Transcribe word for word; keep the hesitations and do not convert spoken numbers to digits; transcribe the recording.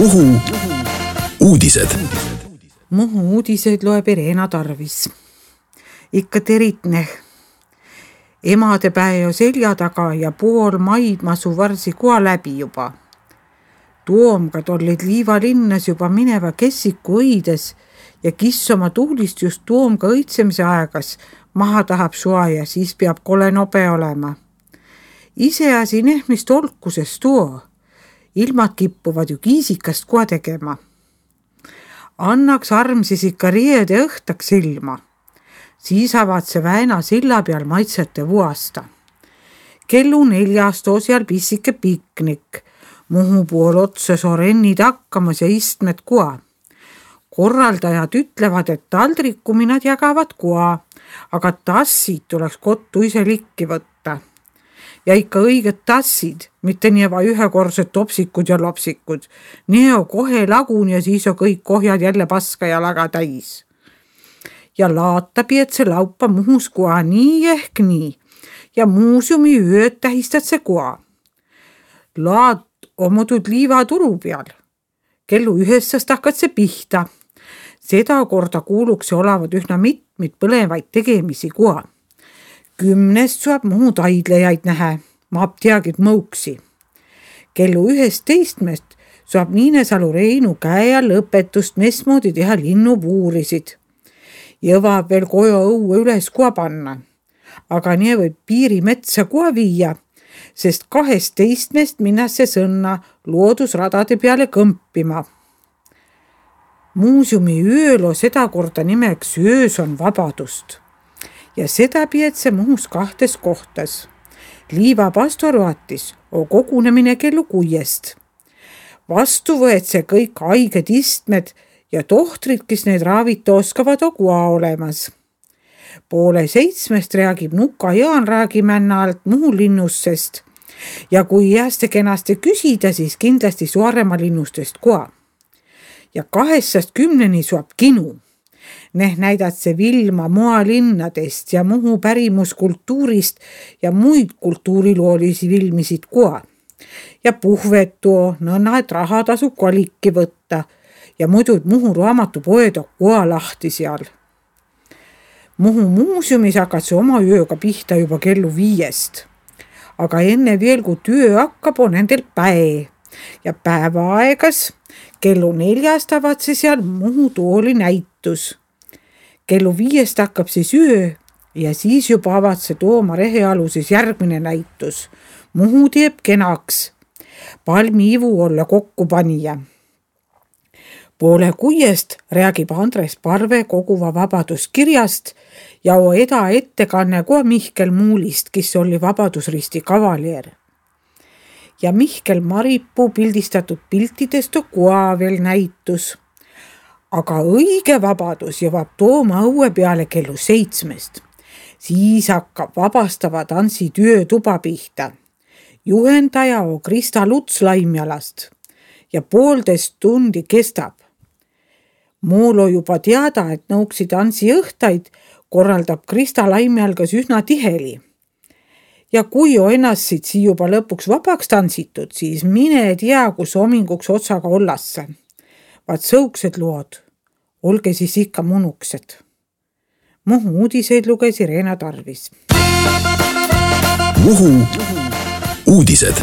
Muhu uudised. Muhu uudiseid loeb Irena Tarvis. Ikka teritne. Emadepäe jo selja taga ja pool maid masu varsi koa läbi juba. Tuomkad olid liivalinnas juba mineva kessiku õides ja kiss oma tuulist just tuomka õitsemise aegas maha tahab sua ja siis peab kole nobe olema. Iseasi nehmist olkuses tuo. Ilmad kippuvad ju kiisikast koa tegema. Annaks arm siis ikka riede õhtaks ilma. Siis avad see väena silla peal maitsete vuasta. Kellu neljast osjal pissike piknik. Muhu pool otsa sorennid hakkamas ja istmed koa. Korraldajad ütlevad, et taldrikuminad jagavad koa, aga tassid tuleks kottu ise likki võtta. Ja ikka õiged tassid, mitte nieva ühekordsed topsikud ja lopsikud. Neo kohe lagun ja siis on kõik kohjad jälle paska ja laga täis. Ja laata piet see laupa Muhus koa nii ehk nii. Ja muuseumi ööd tähistad see koa. Laat omudud liiva turu peal. Kellu ühestast hakkad see pihta. Seda korda kuuluks olevad ühna mitmid põlevaid tegemisi koa. Kümnest saab Muhu taidlejaid näha, maab teagid mõuksi. Kellu ühest teistmest saab Niinesalu Reinu käe lõpetust mesmoodi teha linnupuurisid. Jõvab veel kojo õue üles koa panna. Aga nii võib piirimetsa koa viia, sest kahest teistmest minnasse sõnna loodusradade peale kõmpima. Muuseumi öölo seda korda nimeks öös on vabadust. Ja seda pietse Muhus kahtes kohtas. Liiva pastoruatis on kogunemine kellu kuiest. Vastu võet see kõik haiged istmed ja tohtrid, kes need raavita oskavad on koa olemas. Poole seitsmest räägib Nuka Jaan räägimänna alt Muhu linnussest ja kui jääste kenasti küsida, siis kindlasti Suaremaa linnustest koa. Ja kahestast kümneni suab kinu. Neh näidad see Vilma moalinnadest ja Muhu pärimuskultuurist ja muid kultuuriloolisi filmisid koa. Ja puhvetu, nõnna, et raha tasub kolikki võtta ja muidu Muhu raamatupoed on koa lahti seal. Muhu muuseumis hakkad see oma ööga pihta juba kellu viiest. Aga enne veel, kui töö hakkab, on nendel päe. Ja päeva aegas kellu neljast avad see seal Muhu tooli näitus. Kellu viiest hakkab siis öö ja siis juba avad see Tooma rehealuses järgmine näitus. Muhu teeb kenaks. Palmi ivu olla kokku panija. Poole kuiest räägib Andres Parve koguva vabaduskirjast ja o eda ettekanne koa Mihkel Muulist, kes oli Vabadusristi kavalier. Ja Mihkel Maripuu pildistatud piltidest on koa veel näitus. Aga õige vabadus jõvab Tooma õue peale kellu seitsmest. Siis hakkab vabastava tantsi töö tuba pihta. Juhendaja on Krista Luts Laimjalast ja poolteist tundi kestab. Muul on juba teada, et nõuksi tantsi õhtaid korraldab Krista Laimjalgas üsna tiheli. Ja kui on ennast siit juba lõpuks vabaks tantsitud, siis mine tea, kus hominguks otsaga ollasse. Vaat sõuksed lood, olge siis ikka munuksed. Muhu uudiseid luges Irena Tarvis. Muhu uudised.